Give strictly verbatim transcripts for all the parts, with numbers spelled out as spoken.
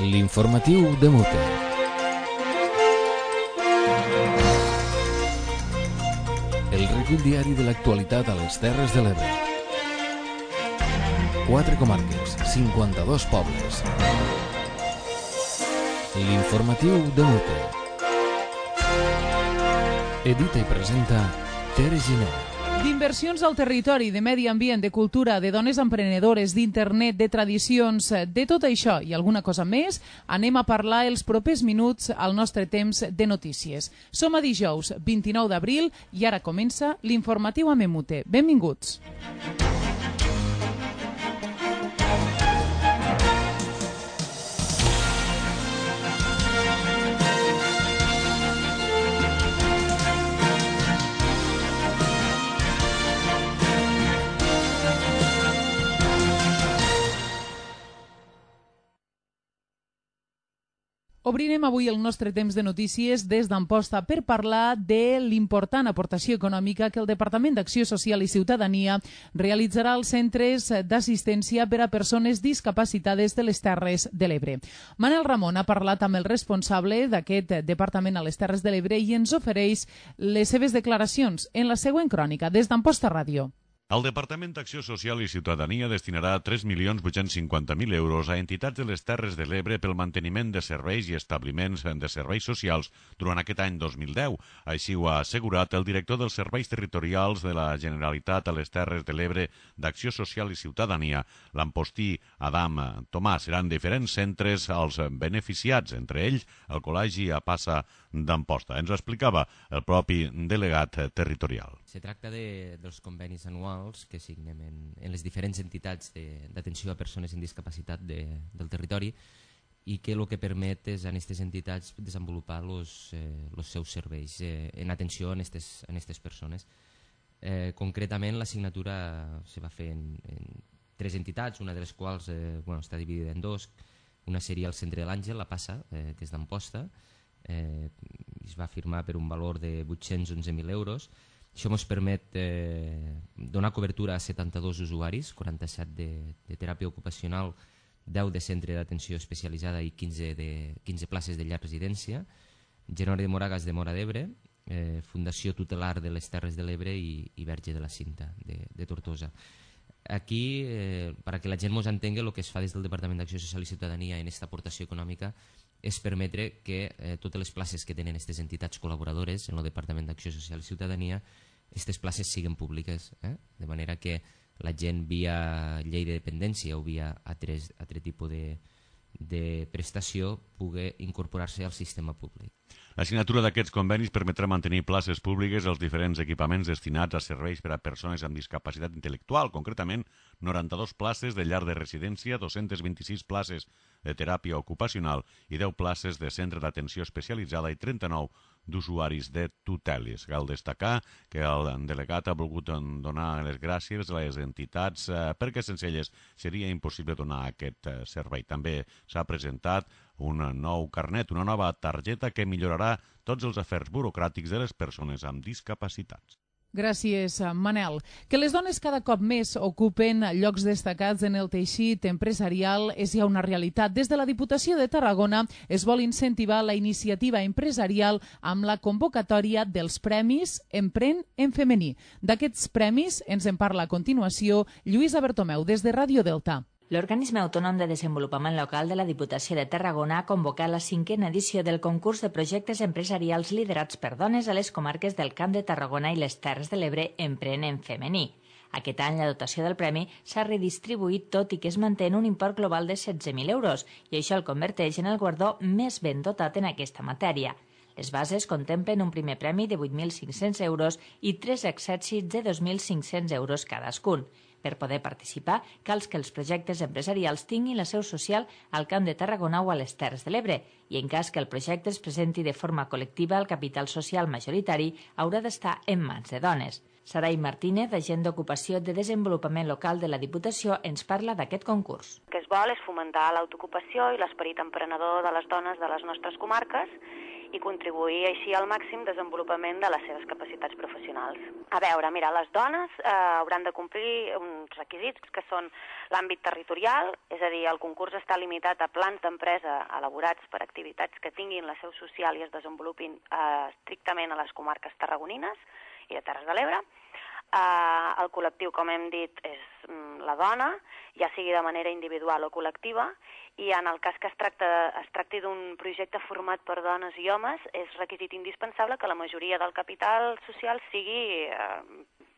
L'informatiu de Mute. El recull diari de l'actualitat a les Terres de l'Ebre. Quatre comarques, cinquanta-dos pobles. L'informatiu de Mute. Edita i presenta Tere Giné. D'inversions al territori, de medi ambient, de cultura, de dones emprenedores, d'internet, de tradicions, de tot això i alguna cosa més, anem a parlar els propers minuts al nostre temps de notícies. Som a dijous vint-i-nou d'abril i ara comença l'informatiu a Memute. Benvinguts. Obrirem avui el nostre temps de notícies des d'Amposta per parlar de l'important aportació econòmica que el Departament d'Acció Social i Ciutadania realitzarà als centres d'assistència per a persones discapacitades de les Terres de l'Ebre. Manel Ramon ha parlat amb el responsable d'aquest departament a les Terres de l'Ebre i ens ofereix les seves declaracions en la següent crònica des d'Amposta Ràdio. El Departament d'Acció Social i Ciutadania destinarà tres milions vuit-cents cinquanta mil euros a entitats de les Terres de l'Ebre pel manteniment de serveis i establiments de serveis socials durant aquest any dos mil deu. Així ho ha assegurat el director dels Serveis Territorials de la Generalitat a les Terres de l'Ebre d'Acció Social i Ciutadania, l'Ampostí Adam Tomàs. Seran diferents centres als beneficiats, entre ells el Col·legi a Passa d'Amposta. Ens ho explicava el propi delegat territorial. Se tracta de, dels convenis anuals que signem en, en les diferents entitats d'atenció a persones amb discapacitat de, del territori i que el que permet és a aquestes entitats desenvolupar los, eh, los seus serveis eh, en atenció a aquestes persones. Eh, concretament, la signatura se va fer en, en tres entitats, una de les quals eh, bueno, està dividida en dos. Una seria el Centre de l'Àngel, la Passa, eh, que és d'Amposta. Eh, es va firmar per un valor de vuit-cents onze mil euros. Això ens permet eh, donar cobertura a setanta-dos usuaris, quaranta-set de, de teràpia ocupacional, deu de centre d'atenció especialitzada i quinze, de, quinze places de llar residència, Genori de Moragas de Mora d'Ebre, eh, Fundació Tutelar de les Terres de l'Ebre i, i Verge de la Cinta de, de Tortosa. Aquí, eh, perquè la gent ens entengui, el que es fa des del Departament d'Acció Social i Ciutadania en aquesta aportació econòmica és permetre que eh, totes les places que tenen aquestes entitats col·laboradores en el Departament d'Acció Social i Ciutadania, aquestes places siguin públiques, eh? De manera que la gent via llei de dependència o via altre, altre tipus de, de prestació pugui incorporar-se al sistema públic. La signatura d'aquests convenis permetrà mantenir places públiques als diferents equipaments destinats a serveis per a persones amb discapacitat intel·lectual, concretament noranta-dues places de llar de residència, dos-centes vint-i-sis places de teràpia ocupacional i deu places de centre d'atenció especialitzada i trenta-nou d'usuaris de tuteles. Cal destacar que el delegat ha volgut donar les gràcies a les entitats eh, perquè sense elles seria impossible donar aquest eh, servei. També s'ha presentat un nou carnet, una nova targeta que millorarà tots els afers burocràtics de les persones amb discapacitats. Gràcies, Manel. Que les dones cada cop més ocupen llocs destacats en el teixit empresarial és ja una realitat. Des de la Diputació de Tarragona es vol incentivar la iniciativa empresarial amb la convocatòria dels Premis Empren en femení. D'aquests premis ens en parla a continuació Lluïsa Bertomeu des de Ràdio Delta. L'Organisme Autònom de Desenvolupament Local de la Diputació de Tarragona ha convocat la cinquena edició del concurs de projectes empresarials liderats per dones a les comarques del Camp de Tarragona i les Terres de l'Ebre Empren en femení. Aquest any la dotació del premi s'ha redistribuït tot i que es manté en un import global de setze mil euros i això el converteix en el guardó més ben dotat en aquesta matèria. Les bases contemplen un primer premi de vuit mil cinc-cents euros i tres accèssits de dos mil cinc-cents euros cadascun. Per poder participar, cal que els projectes empresarials tinguin la seu social al Camp de Tarragona o a les Terres de l'Ebre i en cas que el projecte es presenti de forma col·lectiva, el capital social majoritari haurà d'estar en mans de dones. Sarai Martínez, agent d'Ocupació de Desenvolupament Local de la Diputació, ens parla d'aquest concurs. El que es vol és fomentar l'autoocupació i l'esperit emprenedor de les dones de les nostres comarques i contribuir així al màxim desenvolupament de les seves capacitats professionals. A veure, mira, les dones eh, hauran de complir uns requisits que són l'àmbit territorial, és a dir, el concurs està limitat a plans d'empresa elaborats per activitats que tinguin la seu social i es desenvolupin eh, estrictament a les comarques tarragonines i de Terres de l'Ebre. Uh, el col·lectiu, com hem dit, és mm, la dona, ja sigui de manera individual o col·lectiva, i en el cas que es, tracta, es tracti d'un projecte format per dones i homes, és requisit indispensable que la majoria del capital social sigui uh,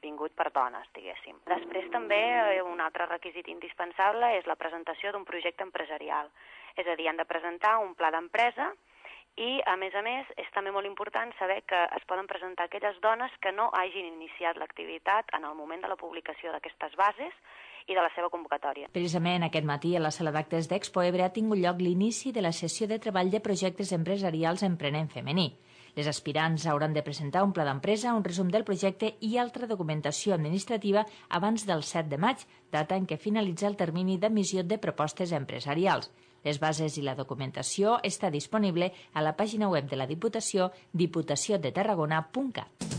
vingut per dones, diguéssim. Després també eh, un altre requisit indispensable és la presentació d'un projecte empresarial, és a dir, han de presentar un pla d'empresa. I, a més a més, és també molt important saber que es poden presentar aquelles dones que no hagin iniciat l'activitat en el moment de la publicació d'aquestes bases i de la seva convocatòria. Precisament aquest matí a la sala d'actes d'Expo Ebre ha tingut lloc l'inici de la sessió de treball de projectes empresarials emprenent femení. Les aspirants hauran de presentar un pla d'empresa, un resum del projecte i altra documentació administrativa abans del set de maig, data en què finalitza el termini d'admissió de propostes empresarials. Les bases i la documentació està disponible a la pàgina web de la Diputació, diputació de tarragona punt cat.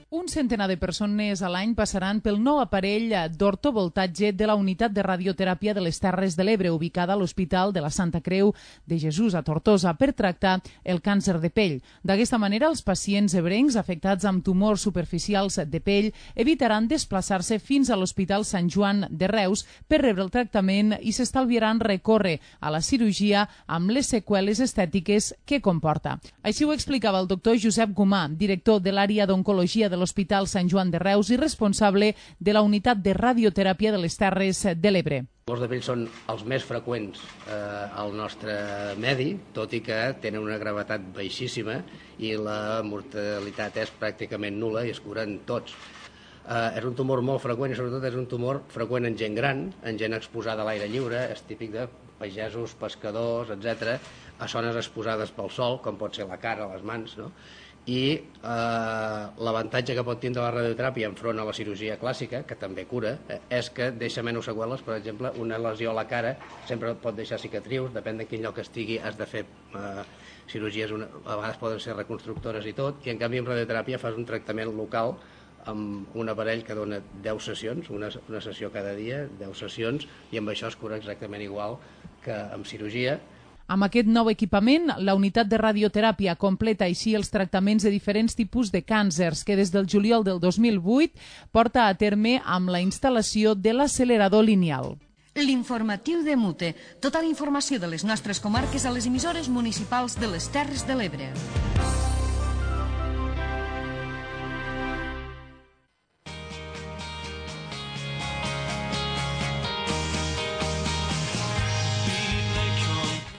Un centenar de persones a l'any passaran pel nou aparell d'ortovoltatge de la unitat de radioteràpia de les Terres de l'Ebre, ubicada a l'Hospital de la Santa Creu de Jesús a Tortosa, per tractar el càncer de pell. D'aquesta manera, els pacients ebrencs afectats amb tumors superficials de pell evitaran desplaçar-se fins a l'Hospital Sant Joan de Reus per rebre el tractament i s'estalviaran recórrer a la cirurgia amb les seqüeles estètiques que comporta. Així ho explicava el doctor Josep Gomà, director de l'àrea d'oncologia de l'Hospital Sant Joan de Reus i responsable de la unitat de radioteràpia de les Terres de l'Ebre. Els tumors de pell són els més freqüents eh, al nostre medi, tot i que tenen una gravetat baixíssima i la mortalitat és pràcticament nul·la i es curen tots. Eh, és un tumor molt freqüent i sobretot és un tumor freqüent en gent gran, en gent exposada a l'aire lliure, és típic de pagesos, pescadors, etcètera, a zones exposades pel sol, com pot ser la cara, les mans, no? I eh, l'avantatge que pot tindre la radioteràpia enfront a la cirurgia clàssica, que també cura, eh, és que deixa menys seqüeles. Per exemple, una lesió a la cara sempre pot deixar cicatrius, depèn de quin lloc estigui, has de fer eh, cirurgies, una, a vegades poden ser reconstructores i tot, i en canvi amb radioteràpia fas un tractament local amb un aparell que dona deu sessions, una, una sessió cada dia, deu sessions, i amb això es cura exactament igual que amb cirurgia. Amb aquest nou equipament, la unitat de radioteràpia completa així els tractaments de diferents tipus de càncers que des del juliol del dos mil vuit porta a terme amb la instal·lació de l'accelerador lineal. L'informatiu de Mute. Tota la informació de les nostres comarques a les emissores municipals de les Terres de l'Ebre.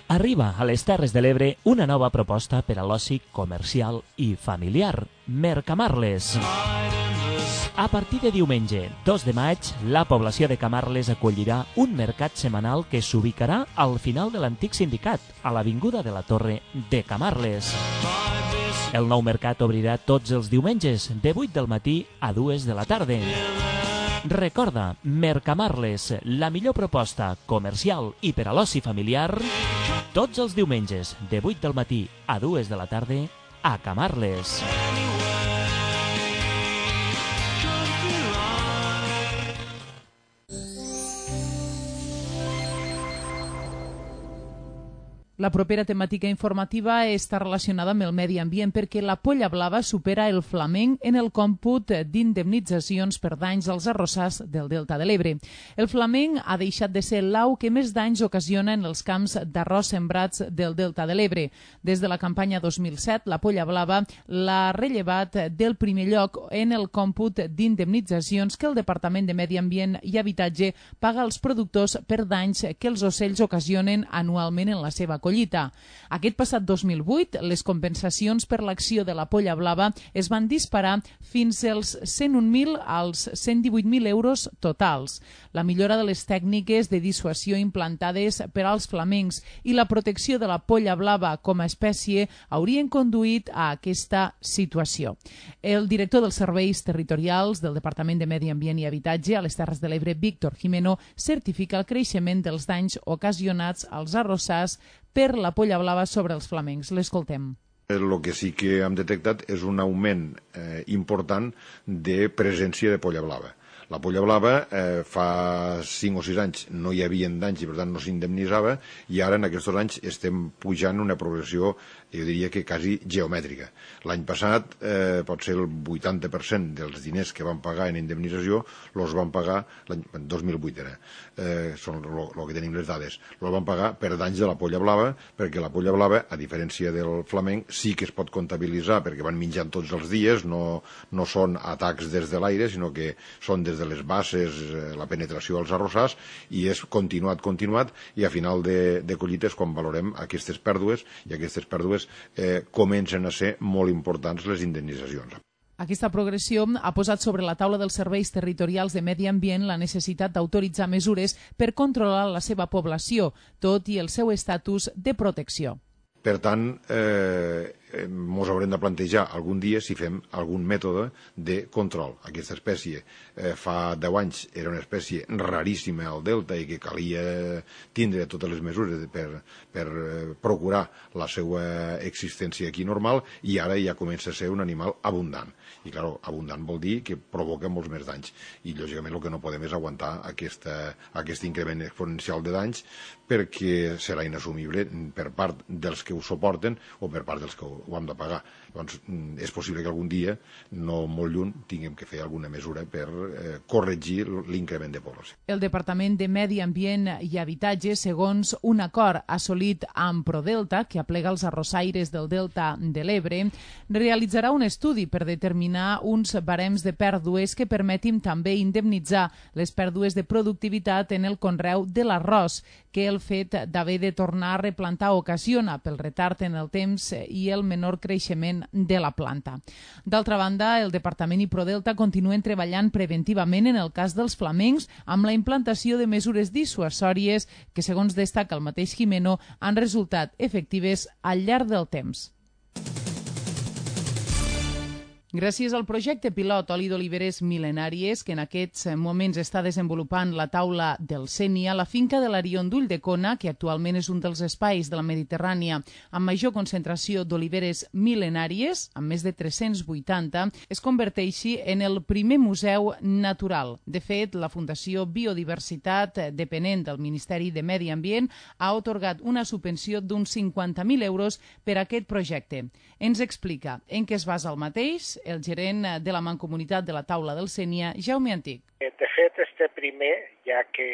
Arriba a les Terres de l'Ebre una nova proposta per a l'oci comercial i familiar, Mercamarles. A partir de diumenge, dos de maig, la població de Camarles acollirà un mercat setmanal que s'ubicarà al final de l'antic sindicat, a l'avinguda de la Torre de Camarles. El nou mercat obrirà tots els diumenges, de vuit del matí a dues de la tarda. Recorda, Mercamarles, la millor proposta comercial i per a l'oci familiar, tots els diumenges, de vuit del matí a dues de la tarda, a Camarles. La propera temàtica informativa està relacionada amb el medi ambient perquè la polla blava supera el flamenc en el còmput d'indemnitzacions per danys als arrossars del Delta de l'Ebre. El flamenc ha deixat de ser l'au que més danys ocasiona en els camps d'arròs sembrats del Delta de l'Ebre. Des de la campanya dos mil set, la polla blava l'ha rellevat del primer lloc en el còmput d'indemnitzacions que el Departament de Medi Ambient i Habitatge paga als productors per danys que els ocells ocasionen anualment en la seva collita. Collita. Aquest passat dos mil vuit, les compensacions per l'acció de la polla blava es van disparar fins als cent un mil als cent divuit mil euros totals. La millora de les tècniques de dissuasió implantades per als flamencs i la protecció de la polla blava com a espècie haurien conduït a aquesta situació. El director dels serveis territorials del Departament de Medi Ambient i Habitatge a les Terres de l'Ebre, Víctor Jimeno, certifica el creixement dels danys ocasionats als arrossars per la polla blava sobre els flamencs. L'escoltem. El que sí que hem detectat és un augment eh, important de presència de polla blava. La polla blava eh, fa cinc o sis anys no hi havia danys i per tant no s'indemnitzava, i ara en aquests anys estem pujant una progressió, jo diria que quasi geomètrica. L'any passat eh, pot ser el vuitanta per cent dels diners que van pagar en indemnització els van pagar, l'any dos mil vuit era, eh, són el que tenim les dades, els van pagar per danys de la polla blava, perquè la polla blava, a diferència del flamenc, sí que es pot comptabilitzar perquè van menjant tots els dies, no, no són atacs des de l'aire, sinó que són des de les bases, la penetració als arrossars, i és continuat, continuat, i a final de, de collites, quan valorem aquestes pèrdues, i aquestes pèrdues eh, comencen a ser molt importants les indemnitzacions. Aquesta progressió ha posat sobre la taula dels serveis territorials de medi ambient la necessitat d'autoritzar mesures per controlar la seva població, tot i el seu estatus de protecció. Per tant, eh, ens haurem de plantejar algun dia si fem algun mètode de control. Aquesta espècie eh, fa deu anys era una espècie raríssima al delta i que calia tindre totes les mesures per, per eh, procurar la seva existència aquí normal, i ara ja comença a ser un animal abundant. I, clar, abundant vol dir que provoca molts més danys. I, lògicament, el que no podem és aguantar aquesta, aquest increment exponencial de danys, perquè serà inassumible per part dels que ho suporten o per part dels que ho hem de pagar. Llavors, és possible que algun dia, no molt lluny, tinguem que fer alguna mesura per eh, corregir l'increment de població. El Departament de Medi Ambient i Habitatge, segons un acord assolit amb Prodelta, que aplega els arrossaires del Delta de l'Ebre, realitzarà un estudi per determinar uns barems de pèrdues que permetin també indemnitzar les pèrdues de productivitat en el conreu de l'arròs, que el fet d'haver de tornar a replantar ocasiona pel retard en el temps i el menor creixement de la planta. D'altra banda, el Departament i Prodelta continuen treballant preventivament en el cas dels flamencs amb la implantació de mesures dissuasòries que, segons destaca el mateix Jimeno, han resultat efectives al llarg del temps. Gràcies al projecte pilot Oli d'Oliveres Mil·lenàries, que en aquests moments està desenvolupant la taula del Sénia, la finca de l'Arion d'Ulldecona, que actualment és un dels espais de la Mediterrània amb major concentració d'oliveres mil·lenàries, amb més de tres-cents vuitanta, es converteixi en el primer museu natural. De fet, la Fundació Biodiversitat, depenent del Ministeri de Medi Ambient, ha atorgat una subvenció d'uns cinquanta mil euros per a aquest projecte. Ens explica en què es basa el mateix el gerent de la Mancomunitat de la Taula del Sénia, Jaume Antic. De fet, este primer, ja que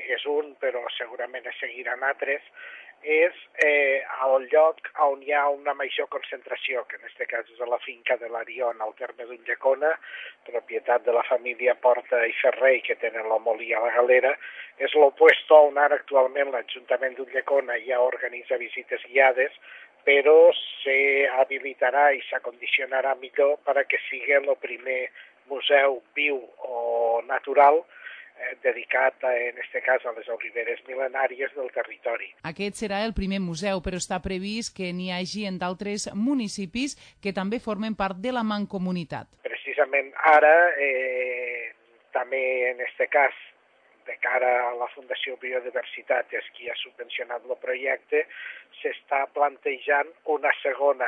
és un, però segurament es seguiran altres, és eh, al lloc on hi ha una major concentració, que en aquest cas és a la finca de l'Arion, al terme d'Ulldecona, propietat de la família Porta i Ferrer, que tenen la molí a la Galera. És l'opuesto on ara actualment l'Ajuntament d'Ulldecona ja organitza visites guiades, però s'habilitarà i s'acondicionarà millor perquè sigui el primer museu viu o natural eh, dedicat, a, en aquest cas, a les oliveres mil·lenàries del territori. Aquest serà el primer museu, però està previst que n'hi hagi en d'altres municipis que també formen part de la Mancomunitat. Precisament ara, eh, també en aquest cas, de cara a la Fundació Biodiversitat, és qui ha subvencionat el projecte, s'està plantejant una segona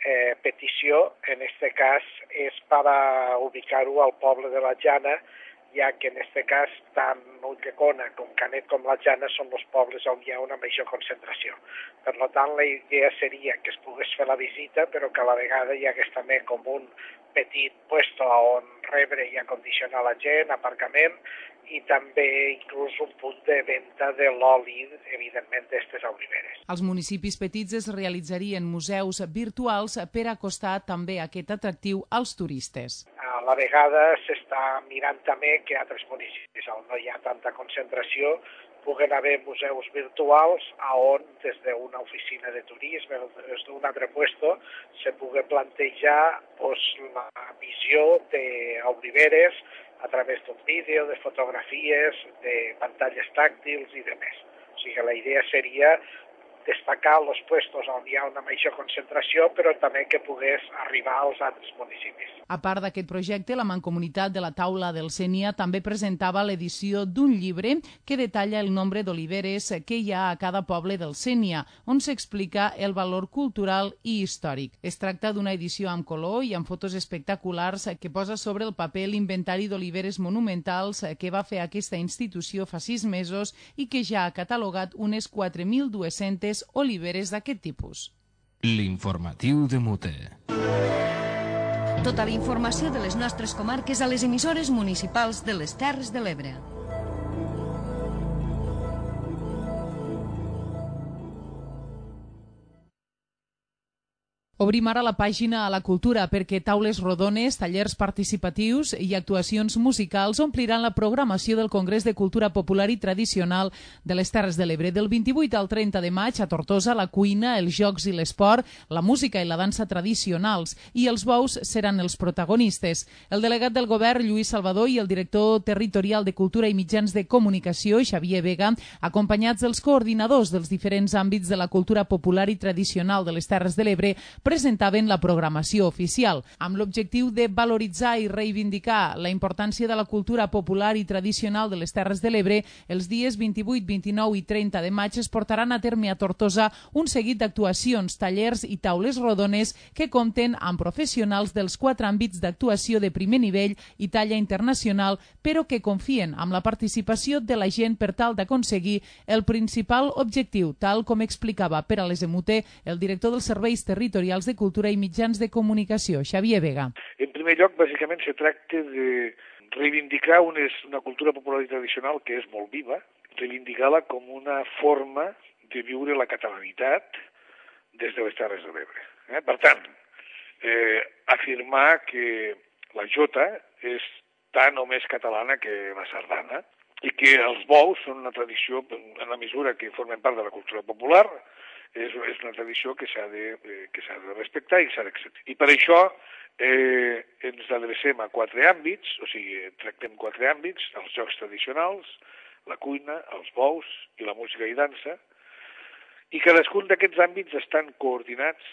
eh, petició. En aquest cas és per ubicar-ho al poble de la Jana, ja que en aquest cas tant Ulldecona com Canet com la Jana són els pobles on hi ha una major concentració. Per tant, la idea seria que es pogués fer la visita, però que a la vegada hi hagués també com un petit puesto on rebre i acondicionar la gent, aparcament, i també inclús un punt de venda de l'oli, evidentment, d'aquestes oliveres. Als municipis petits es realitzarien museus virtuals per acostar també aquest atractiu als turistes. A la vegada s'està mirant també que altres municipis on no hi ha tanta concentració puguen haver museus virtuals on des d'una oficina de turisme o des d'un altre puesto se pugui plantejar pues, la visió d'oliveres a través d'un vídeo, de fotografies, de pantalles tàctils i de més. O sigui que la idea seria destacar els puestos on hi ha una major concentració, però també que pogués arribar als altres municipis. A part d'aquest projecte, la Mancomunitat de la Taula del Sénia també presentava l'edició d'un llibre que detalla el nombre d'oliveres que hi ha a cada poble del Sénia, on s'explica el valor cultural i històric. Es tracta d'una edició amb color i amb fotos espectaculars que posa sobre el paper l'inventari d'oliveres monumentals que va fer aquesta institució fa sis mesos i que ja ha catalogat unes quatre mil dues-centes oliveres d'aquest tipus. L'informatiu de Mute. Tota la informació de les nostres comarques a les emissores municipals de les Terres de l'Ebre. Obrim ara la pàgina a la cultura perquè taules rodones, tallers participatius i actuacions musicals ompliran la programació del Congrés de Cultura Popular i Tradicional de les Terres de l'Ebre. Del vint-i-vuit al trenta de maig a Tortosa, la cuina, els jocs i l'esport, la música i la dansa tradicionals i els bous seran els protagonistes. El delegat del govern, Lluís Salvador, i el director territorial de Cultura i Mitjans de Comunicació, Xavier Vega, acompanyats dels coordinadors dels diferents àmbits de la cultura popular i tradicional de les Terres de l'Ebre, presentaven la programació oficial, amb l'objectiu de valoritzar i reivindicar la importància de la cultura popular i tradicional de les Terres de l'Ebre. Els dies vint-i-vuit, vint-i-nou i trenta de maig es portaran a terme a Tortosa un seguit d'actuacions, tallers i taules rodones que compten amb professionals dels quatre àmbits d'actuació de primer nivell i talla internacional, però que confien amb la participació de la gent per tal d'aconseguir el principal objectiu, tal com explicava per a les Emute el director dels serveis territorials de Cultura i Mitjans de Comunicació, Xavier Vega. En primer lloc, bàsicament, se tracta de reivindicar una, una cultura popular i tradicional que és molt viva, reivindicar-la com una forma de viure la catalanitat des de les Terres de l'Ebre. Eh? Per tant, eh, afirmar que la jota és tan o més catalana que la sardana i que els bous són una tradició, en la mesura que formen part de la cultura popular, és, és una tradició que s'ha de, eh, que s'ha de respectar i s'ha d'acceptar. I per això eh, ens adrecem a quatre àmbits, o sigui, tractem quatre àmbits, els jocs tradicionals, la cuina, els bous i la música i dansa, i cadascun d'aquests àmbits estan coordinats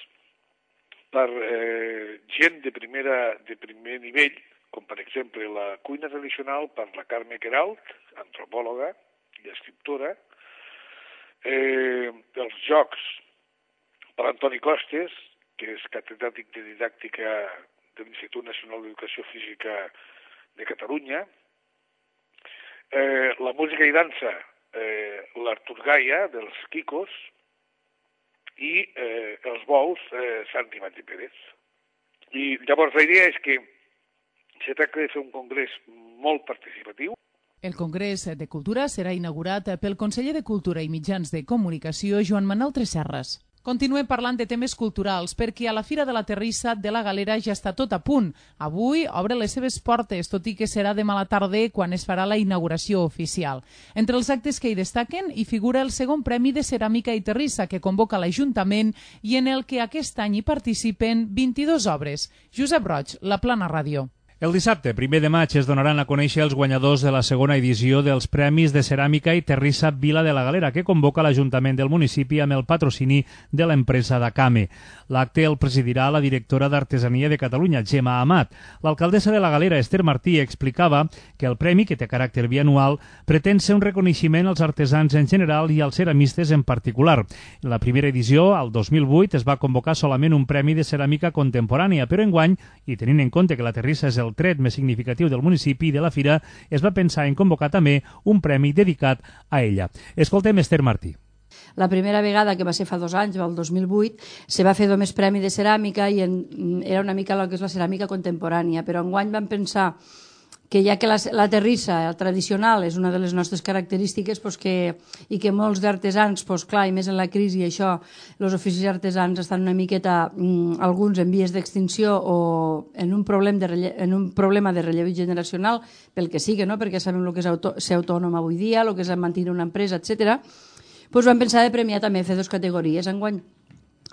per eh, gent de, primera, de primer nivell, com per exemple la cuina tradicional per la Carme Queralt, antropòloga i escriptora, Eh, els jocs per Antoni Costes, que és catedràtic de didàctica de l'Institut Nacional d'Educació Física de Catalunya, eh, la música i dansa, eh, l'Artur Gaia, dels Quicos, i eh, els bous, eh, Santi Mati Pérez. I llavors la idea és que se tracta de fer un congrés molt participatiu. El Congrés de Cultura serà inaugurat pel conseller de Cultura i Mitjans de Comunicació, Joan Manuel Tresserras. Continuem parlant de temes culturals perquè a la Fira de la Terrissa de la Galera ja està tot a punt. Avui obre les seves portes, tot i que serà demà a la tarda quan es farà la inauguració oficial. Entre els actes que hi destaquen hi figura el segon Premi de Ceràmica i Terrissa que convoca l'Ajuntament i en el que aquest any hi participen vint-i-dues obres. Josep Roig, La Plana Ràdio. El dissabte, primer de maig, es donaran a conèixer els guanyadors de la segona edició dels Premis de Ceràmica i Terrissa Vila de la Galera, que convoca l'Ajuntament del municipi amb el patrocini de l'empresa Dacame. L'acte el presidirà la directora d'Artesania de Catalunya, Gemma Amat. L'alcaldessa de la Galera, Esther Martí, explicava que el premi, que té caràcter bianual, pretén ser un reconeixement als artesans en general i als ceramistes en particular. En la primera edició, al dos mil vuit, es va convocar solament un premi de ceràmica contemporània, però enguany, i tenint en compte que la Terrissa és el el tret més significatiu del municipi i de la fira, es va pensar en convocar també un premi dedicat a ella. Escoltem Esther Martí. La primera vegada, que va ser fa dos anys, el dos mil vuit, se va fer només premi de ceràmica i en, era una mica el que és la ceràmica contemporània, però enguany vam pensar que ja que la, la terrissa el tradicional és una de les nostres característiques pues que, i que molts d'artesans, pues clar, i més en la crisi, això, els oficis artesans estan una miqueta, mm, alguns en vies d'extinció o en un, problem de relle, en un problema de relleu generacional, pel que sigui, no? Perquè sabem el que és auto, ser autònom avui dia, el que és mantenir una empresa, etcètera. Pues vam pensar de premiar també, fer dues categories enguany,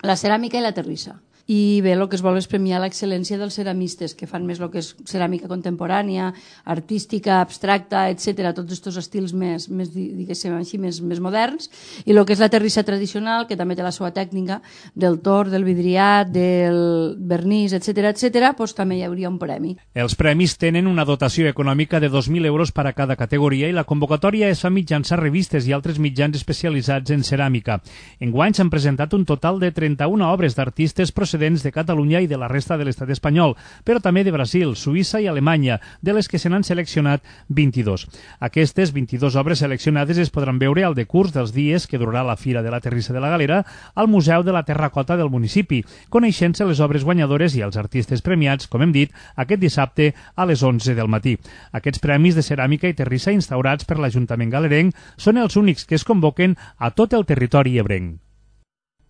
la ceràmica i la terrissa. i bé, el que es vol és premiar l'excel·lència dels ceramistes, que fan més el que és ceràmica contemporània, artística, abstracta, etcètera, tots aquests estils més, més diguéssim així, més, més moderns, i el que és la terrissa tradicional, que també té la seva tècnica, del tor, del vidriat, del vernís, etcètera, etcètera, doncs també hi hauria un premi. Els premis tenen una dotació econòmica de dos mil euros per a cada categoria i la convocatòria es fa mitjançant revistes i altres mitjans especialitzats en ceràmica. Enguany s'han presentat un total de trenta-una obres d'artistes procedents de Catalunya i de la resta de l'estat espanyol, però també de Brasil, Suïssa i Alemanya, de les que se n'han seleccionat vint-i-dos. Aquestes vint-i-dos obres seleccionades es podran veure al decurs dels dies que durarà la Fira de la Terrissa de la Galera al Museu de la Terracota del municipi, coneixent-se les obres guanyadores i els artistes premiats, com hem dit, aquest dissabte a les onze del matí. Aquests premis de ceràmica i terrissa instaurats per l'Ajuntament galerenc són els únics que es convoquen a tot el territori ebrenc.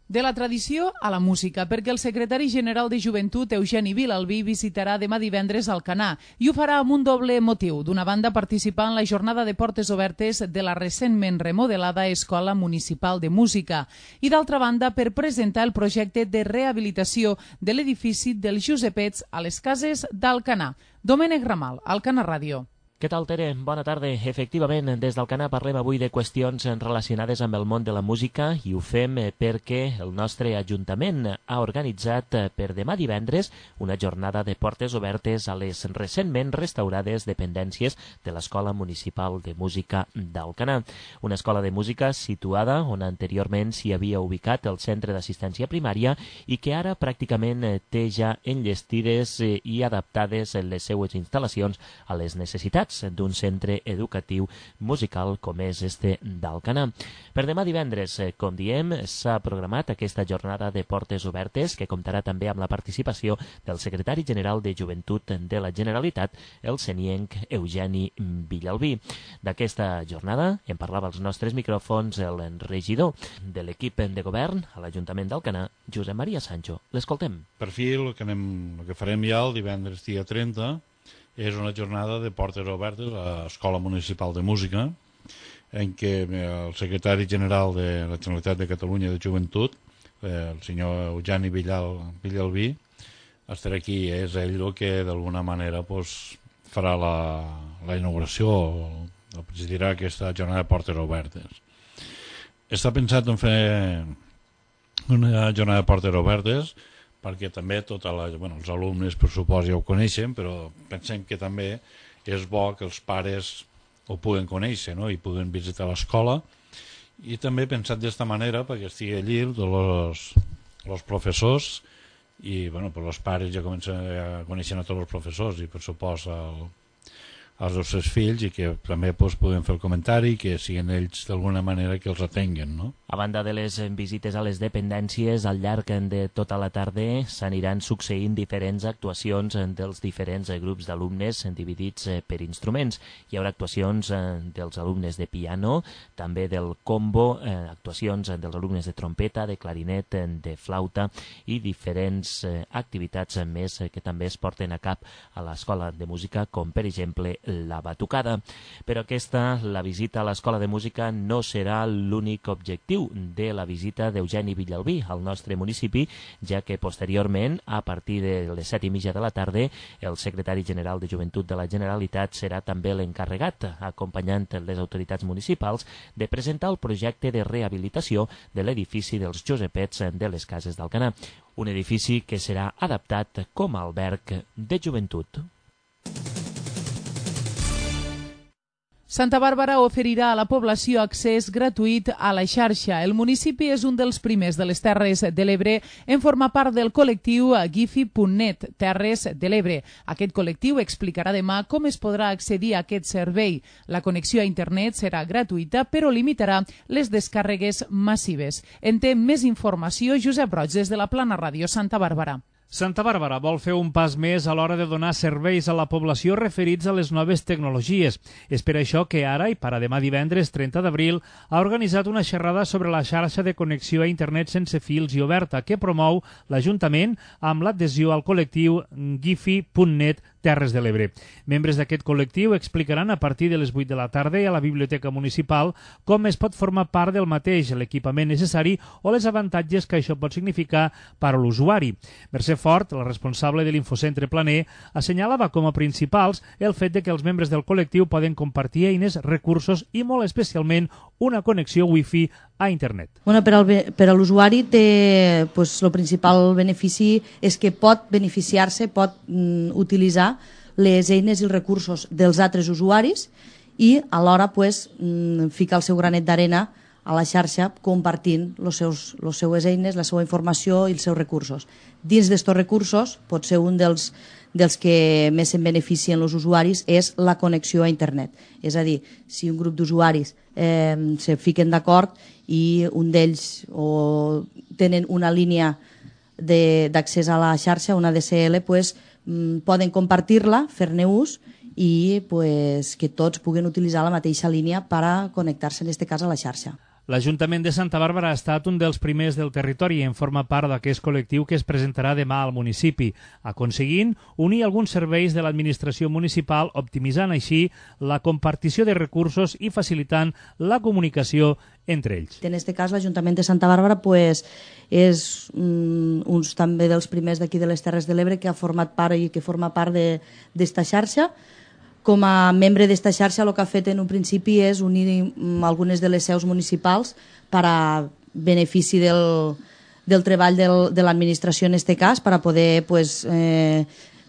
De la tradició a la música, perquè el secretari general de Joventut, Eugeni Vilalbí, visitarà demà divendres Alcanar i ho farà amb un doble motiu. D'una banda, participar en la jornada de portes obertes de la recentment remodelada Escola Municipal de Música i, d'altra banda, per presentar el projecte de rehabilitació de l'edifici dels Josepets a les cases d'Alcanar. Domènec Ramal, Alcanar Ràdio. Què tal, Tere? Bona tarda. Efectivament, des d'Alcanar parlem avui de qüestions relacionades amb el món de la música i ho fem perquè el nostre Ajuntament ha organitzat per demà divendres una jornada de portes obertes a les recentment restaurades dependències de l'Escola Municipal de Música d'Alcanar. Una escola de música situada on anteriorment s'hi havia ubicat el centre d'assistència primària i que ara pràcticament té ja enllestides i adaptades les seues instal·lacions a les necessitats d'un centre educatiu musical com és este d'Alcanar. Per demà divendres, com diem, s'ha programat aquesta jornada de portes obertes que comptarà també amb la participació del secretari general de Joventut de la Generalitat, el senienc Eugeni Vilalbí. D'aquesta jornada en parlava als nostres micròfons el regidor de l'equip de govern a l'Ajuntament d'Alcanar, Josep Maria Sancho. L'escoltem. Per fi, el que, anem, el que farem ja el divendres dia trenta és una jornada de portes obertes a l'Escola Municipal de Música, en què el secretari general de la Generalitat de Catalunya de Joventut, el senyor Eugeni Vilalbí, estarà aquí. És ell el que d'alguna manera pues, farà la, la inauguració o presidirà aquesta jornada de portes obertes. Està pensat en fer una jornada de portes obertes perquè també tota la, bueno, els alumnes per supòs ja ho coneixen, però pensem que també és bo que els pares ho puguen conèixer, no? I puguen visitar l'escola, i també pensat d'esta manera perquè estigui allí els professors i bueno, pues els pares ja comencen a conèixer a tots els professors i per supòs el, als nostres fills i que també pues, podem fer el comentari i que siguin ells d'alguna manera que els atenguen, no? A banda de les visites a les dependències, al llarg de tota la tarda s'aniran succeint diferents actuacions dels diferents grups d'alumnes dividits per instruments. Hi haurà actuacions dels alumnes de piano, també del combo, actuacions dels alumnes de trompeta, de clarinet, de flauta i diferents activitats més que també es porten a cap a l'escola de música, com per exemple la batucada. Però aquesta, la visita a l'escola de música, no serà l'únic objectiu de la visita d'Eugeni Vilalbí al nostre municipi, ja que posteriorment, a partir de les set i mitja de la tarda, el secretari general de Joventut de la Generalitat serà també l'encarregat, acompanyant les autoritats municipals, de presentar el projecte de rehabilitació de l'edifici dels Josepets de les Cases d'Alcanar, un edifici que serà adaptat com a alberg de joventut. Santa Bàrbara oferirà a la població accés gratuït a la xarxa. El municipi és un dels primers de les Terres de l'Ebre en formar part del col·lectiu Gifi punt net, Terres de l'Ebre. Aquest col·lectiu explicarà demà com es podrà accedir a aquest servei. La connexió a internet serà gratuïta, però limitarà les descàrregues massives. En té més informació Josep Roig des de la Plana Ràdio Santa Bàrbara. Santa Bàrbara vol fer un pas més a l'hora de donar serveis a la població referits a les noves tecnologies. És per això que ara, i per a demà divendres trenta d'abril, ha organitzat una xerrada sobre la xarxa de connexió a internet sense fils i oberta que promou l'Ajuntament amb l'adhesió al col·lectiu Gifi punt net Terres de l'Ebre. Membres d'aquest col·lectiu explicaran a partir de les vuit de la tarda a la Biblioteca Municipal com es pot formar part del mateix, l'equipament necessari o les avantatges que això pot significar per a l'usuari. Mercè Fort, la responsable de l'Infocentre Planer, assenyalava com a principals el fet de que els membres del col·lectiu poden compartir eines, recursos i molt especialment una connexió wifi a internet. Bueno, per, al, per a l'usuari té, pues, el principal benefici és que pot beneficiar-se, pot mm, utilitzar les eines i els recursos dels altres usuaris i alhora pues, mm, ficar el seu granet d'arena a la xarxa compartint les seues eines, la seva informació i els seus recursos. Dins d'aquests recursos, pot ser un dels, dels que més se'n beneficien els usuaris és la connexió a internet. És a dir, si un grup d'usuaris eh, se fiquen d'acord i un d'ells o tenen una línia d'accés a la xarxa, una D S L, pues, mm, poden compartir-la, fer-ne ús i pues, que tots puguen utilitzar la mateixa línia per a connectar-se, en aquest cas, a la xarxa. L'Ajuntament de Santa Bàrbara ha estat un dels primers del territori i en forma part d'aquest col·lectiu que es presentarà demà al municipi, aconseguint unir alguns serveis de l'administració municipal, optimitzant així la compartició de recursos i facilitant la comunicació entre ells. En aquest cas, l'Ajuntament de Santa Bàrbara pues, és um, uns també dels primers d'aquí de les Terres de l'Ebre que ha format part i que forma part d'esta xarxa. Com a membre d'esta xarxa el que ha fet en un principi és unir algunes de les seus municipals per a benefici del, del treball del, de l'administració en aquest cas, per a poder pues, eh,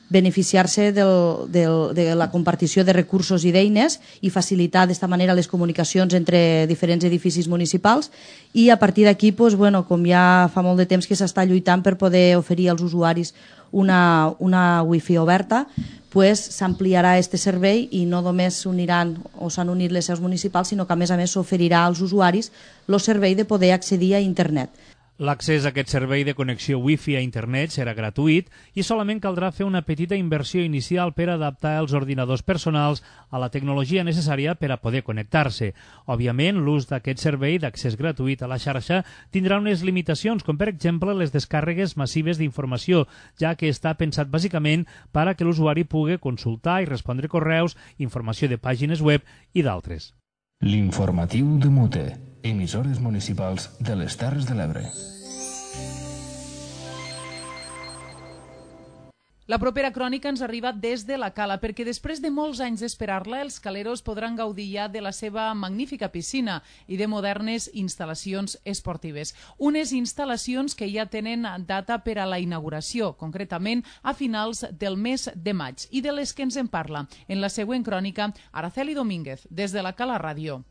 beneficiar-se del, del, de la compartició de recursos i d'eines i facilitar d'esta manera les comunicacions entre diferents edificis municipals i a partir d'aquí, pues, bueno, com ja fa molt de temps que s'està lluitant per poder oferir als usuaris una, una wifi oberta, pues, s'ampliarà aquest servei i no només s'uniran o s'han unit les seus municipals, sinó que a més a més s'oferirà als usuaris el servei de poder accedir a internet. L'accés a aquest servei de connexió wifi a internet serà gratuït i solament caldrà fer una petita inversió inicial per adaptar els ordinadors personals a la tecnologia necessària per a poder connectar-se. Òbviament, l'ús d'aquest servei d'accés gratuït a la xarxa tindrà unes limitacions, com per exemple les descàrregues massives d'informació, ja que està pensat bàsicament per a que l'usuari pugui consultar i respondre correus, informació de pàgines web i d'altres. L'informatiu de Mute, emissores municipals de les Terres de l'Ebre. La propera crònica ens arriba des de la Cala, perquè després de molts anys d'esperar-la, els caleros podran gaudir ja de la seva magnífica piscina i de modernes instal·lacions esportives. Unes instal·lacions que ja tenen data per a la inauguració, concretament a finals del mes de maig, i de les que ens en parla en la següent crònica Araceli Domínguez, des de la Cala Ràdio.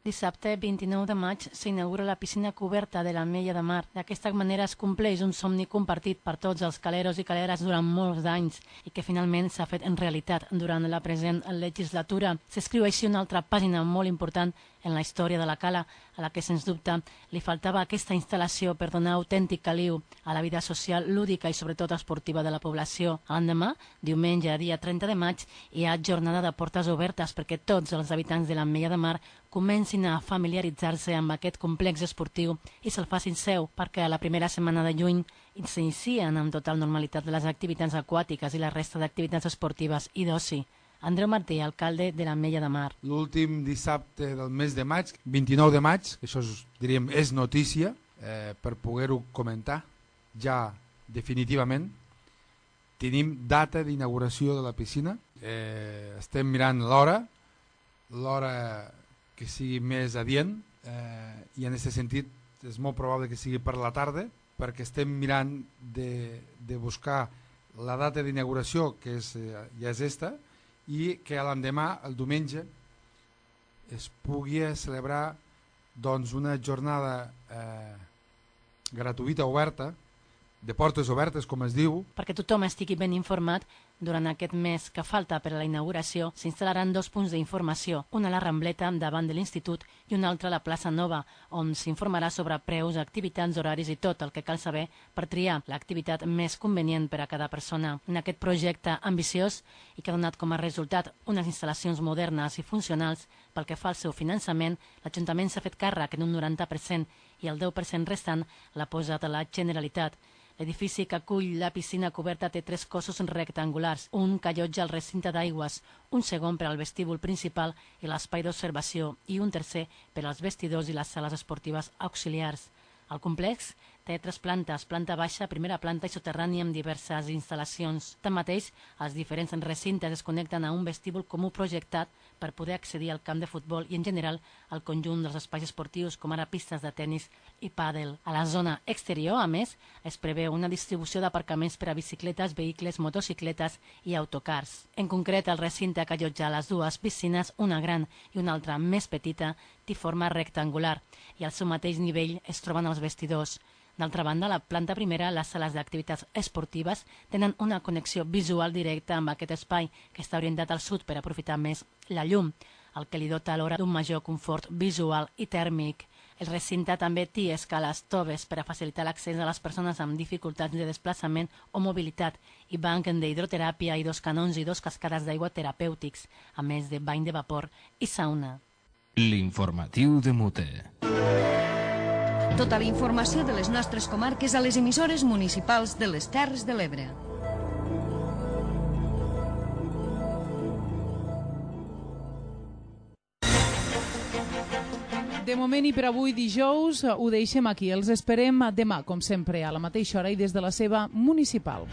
Dissabte vint-i-nou de maig s'inaugura la piscina coberta de l'Ametlla de Mar. D'aquesta manera es compleix un somni compartit per tots els caleros i caleres durant molts anys i que finalment s'ha fet en realitat durant la present legislatura. S'escriu així una altra pàgina molt important en la història de la Cala, a la que, sens dubte, li faltava aquesta instal·lació per donar autèntic caliu a la vida social, lúdica i sobretot esportiva de la població. L'endemà, diumenge, dia trenta de maig, hi ha jornada de portes obertes perquè tots els habitants de l'Ametlla de Mar comencin a familiaritzar-se amb aquest complex esportiu i se'l facin seu, perquè a la primera setmana de juny s'inicien amb total normalitat les activitats aquàtiques i la resta d'activitats esportives i d'oci. Andreu Martí, alcalde de l'Ametlla de Mar. L'últim dissabte del mes de maig, vint-i-nou de maig, això és, diríem, és notícia, eh, per poder-ho comentar ja definitivament. Tenim data d'inauguració de la piscina, eh, estem mirant l'hora, l'hora que sigui més adient, eh, i en aquest sentit és molt probable que sigui per la tarda, perquè estem mirant de, de buscar la data d'inauguració, que és, eh, ja és esta, i que l'endemà, el diumenge, es pugui celebrar doncs, una jornada eh, gratuïta, oberta, de portes obertes, com es diu. Perquè tothom estigui ben informat, durant aquest mes que falta per a la inauguració s'instal·laran dos punts d'informació, una a la Rambleta davant de l'Institut i una altra a la plaça Nova, on s'informarà sobre preus, activitats, horaris i tot el que cal saber per triar l'activitat més convenient per a cada persona. En aquest projecte ambiciós i que ha donat com a resultat unes instal·lacions modernes i funcionals, pel que fa al seu finançament, l'Ajuntament s'ha fet càrrec en un noranta per cent i el deu per cent restant l'ha posat a la Generalitat. L'edifici que acull la piscina coberta té tres cossos rectangulars, un que allotja el recinte d'aigües, un segon per al vestíbul principal i l'espai d'observació i un tercer per als vestidors i les sales esportives auxiliars. El complex té tres plantes, planta baixa, primera planta i soterrani amb diverses instal·lacions. Tanmateix, els diferents recintes es connecten a un vestíbul comú projectat per poder accedir al camp de futbol i, en general, al conjunt dels espais esportius, com ara pistes de tennis i pàdel. A la zona exterior, a més, es preveu una distribució d'aparcaments per a bicicletes, vehicles, motocicletes i autocars. En concret, el recinte que allotja les dues piscines, una gran i una altra més petita, té forma rectangular i al seu mateix nivell es troben els vestidors. D'altra banda, a la planta primera, les sales d'activitats esportives tenen una connexió visual directa amb aquest espai, que està orientat al sud per aprofitar més la llum, el que li dota alhora d'un major confort visual i tèrmic. El recinte també té escales toves per a facilitar l'accés a les persones amb dificultats de desplaçament o mobilitat i banc d'hidroteràpia i dos canons i dos cascades d'aigua terapèutics, a més de bany de vapor i sauna. L'informatiu de Mute. Tota la informació de les nostres comarques a les emissores municipals de les Terres de l'Ebre. De moment i per avui dijous ho deixem aquí. Els esperem demà, com sempre, a la mateixa hora i des de la seva municipal.